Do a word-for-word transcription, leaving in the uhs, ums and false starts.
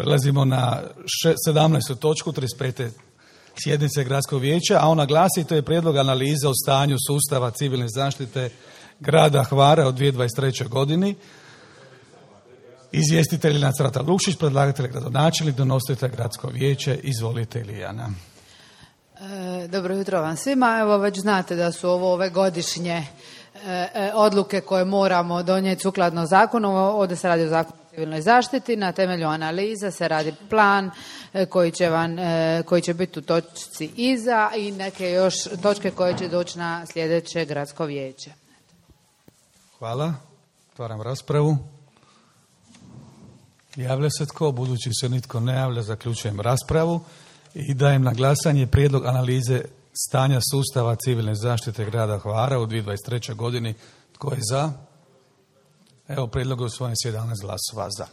Prelazimo na sedamnaestu točku trideset pete sjednice Gradskog vijeća, a ona glasi: to je prijedlog analize o stanju sustava civilne zaštite grada Hvara od dvije tisuće dvadeset trećoj godini. Izvjestitelj Nacrata Lukšić, predlagatelj gradonačelnik, donositelj Gradsko vijeće. Izvolite, Ilijana. E, dobro jutro vam svima. Evo, već znate da su ovo ove godišnje e, odluke koje moramo donijeti sukladno zakonu. Ovdje se radi o zakonu o civilnoj zaštiti. Na temelju analize se radi plan e, koji će, vam, e, koji će biti u točci iza i neke još točke koje će doći na sljedeće Gradsko vijeće. Hvala. Otvaram raspravu. Javlja se tko? Budući se nitko ne javlja, zaključujem raspravu i dajem na glasanje prijedlog analize stanja sustava civilne zaštite grada Hvara u dvije tisuće dvadeset trećoj godini. Tko je za? Evo, prijedlog je usvojen s jedanaest glasova za.